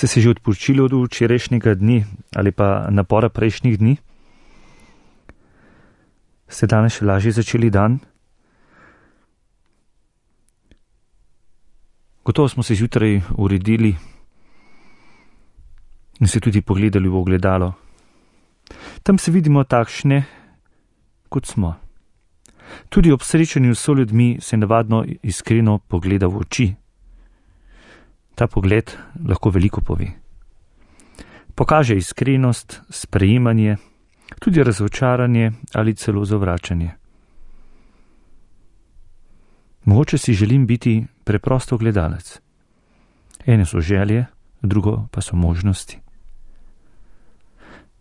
Ste se že odpočili od včerajšnjega dni ali pa napora prejšnjih dni? Ste danes še lažje začeli dan? Gotovo smo se zjutraj uredili in se tudi pogledali v ogledalo. Tam se vidimo takšne, kot smo. Tudi ob srečanju s soljudmi se navadno iskreno pogleda v oči. Ta pogled lahko veliko pove. Pokaže iskrenost, sprejemanje, tudi razočaranje ali celo zavračanje. Mogoče si želim biti preprosto gledalec. Ene so želje, drugo pa so možnosti.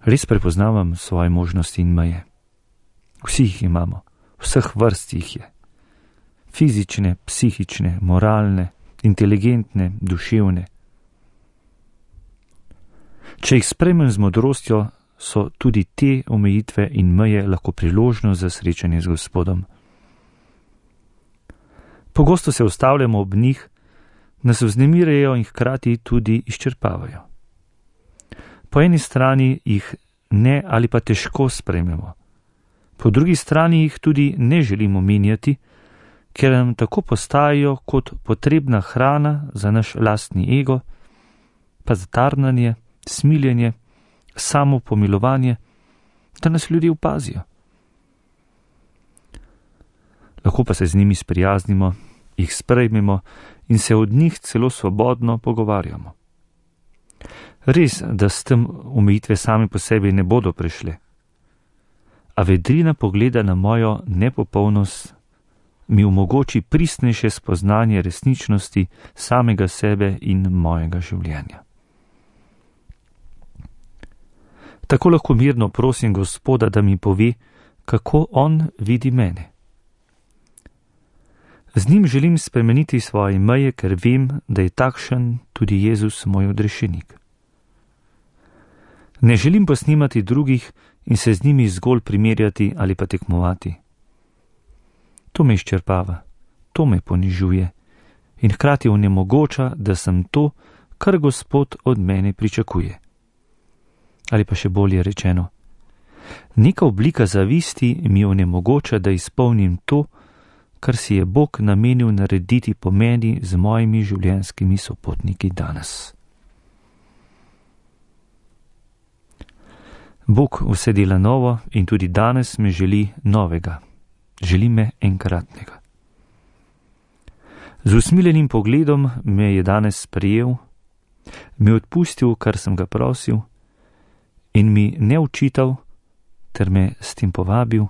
Res prepoznavam svoje možnosti in meje. Vsi jih imamo, vseh vrst jih je. Fizične, psihične, moralne, inteligentne, duševne. Če jih sprejmem z modrostjo, so tudi te omejitve in meje lahko priložnost za srečanje z Gospodom. Pogosto se ustavljamo ob njih, nas vznemirajo in hkrati tudi izčrpavajo. Po eni strani jih ne ali pa težko sprejmemo, po drugi strani jih tudi ne želimo menjati, ker nam tako postajajo kot potrebna hrana za naš lastni ego, pa za tarnanje, smiljenje, samopomilovanje, da nas ljudje opazijo. Lahko pa se z njimi sprijaznimo, jih sprejmemo in se od njih celo svobodno pogovarjamo. Res, da s tem omejitve same po sebi ne bodo prešle, a vedrina pogleda na mojo nepopolnost mi omogoči pristnejše spoznanje resničnosti samega sebe in mojega življenja. Tako lahko mirno prosim Gospoda, da mi pove, kako on vidi mene. Z njim želim spremeniti svoje meje, ker vem, da je takšen tudi Jezus moj odrešenik. Ne želim posnemati drugih in se z njimi zgolj primerjati ali pa tekmovati. To me izčrpava, to me ponižuje in hkrati onemogoča, da sem to, kar Gospod od mene pričakuje. Ali pa še bolje rečeno, neka oblika zavisti mi onemogoča, da izpolnim to, kar si je Bog namenil narediti po meni z mojimi življenjskimi sopotniki danes. Bog vse dela novo in tudi danes me želi novega, želi me enkratnega. Z usmiljenim pogledom me je danes sprejel, mi odpustil, kar sem ga prosil, in mi ne očital, ter me s tem povabil,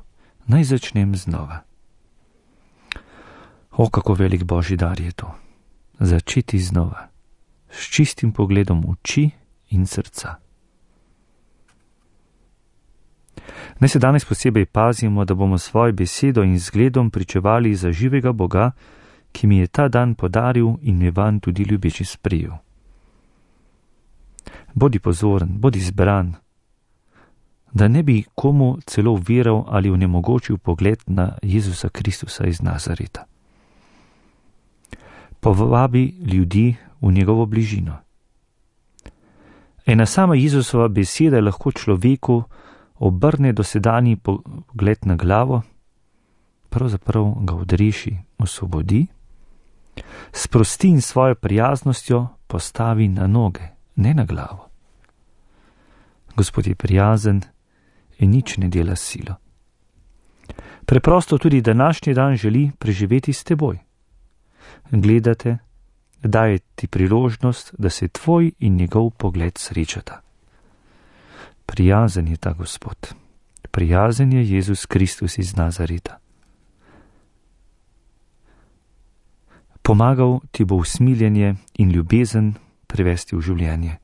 naj začnem znova. O, kako velik Božji dar je to, začeti znova, s čistim pogledom oči in srca. Naj se danes posebej pazimo, da bomo svojo besedo in zgledom pričevali za živega Boga, ki mi je ta dan podaril in me vanj tudi ljubeče sprejel. Bodi pozoren, bodi zbran, da ne bi komu celo veral ali onemogočil pogled na Jezusa Kristusa iz Nazareta. Povabi ljudi v njegovo bližino. Ena sama Jezusova beseda lahko človeku obrne dosedanji pogled na glavo, pravzaprav ga odreši, osvobodi, sprosti in svojo prijaznostjo postavi na noge, ne na glavo. Gospod je prijazen in nič ne dela s silo. Preprosto tudi današnji dan želi preživeti s teboj. Gledate, daje ti priložnost, da se tvoj in njegov pogled srečata. Prijazen je ta Gospod, prijazen je Jezus Kristus iz Nazareta. Pomagal ti bo usmiljenje in ljubezen prevesti v življenje.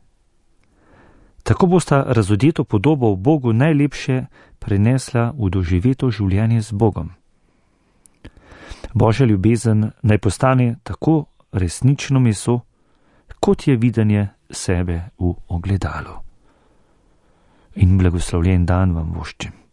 Tako bosta razodeto podobo v Bogu najlepše prenesla v doživeto življenje z Bogom. Božja ljubezen naj postane tako resnično meso, kot je videnje sebe v ogledalu. In blagoslovljen dan vam voščim.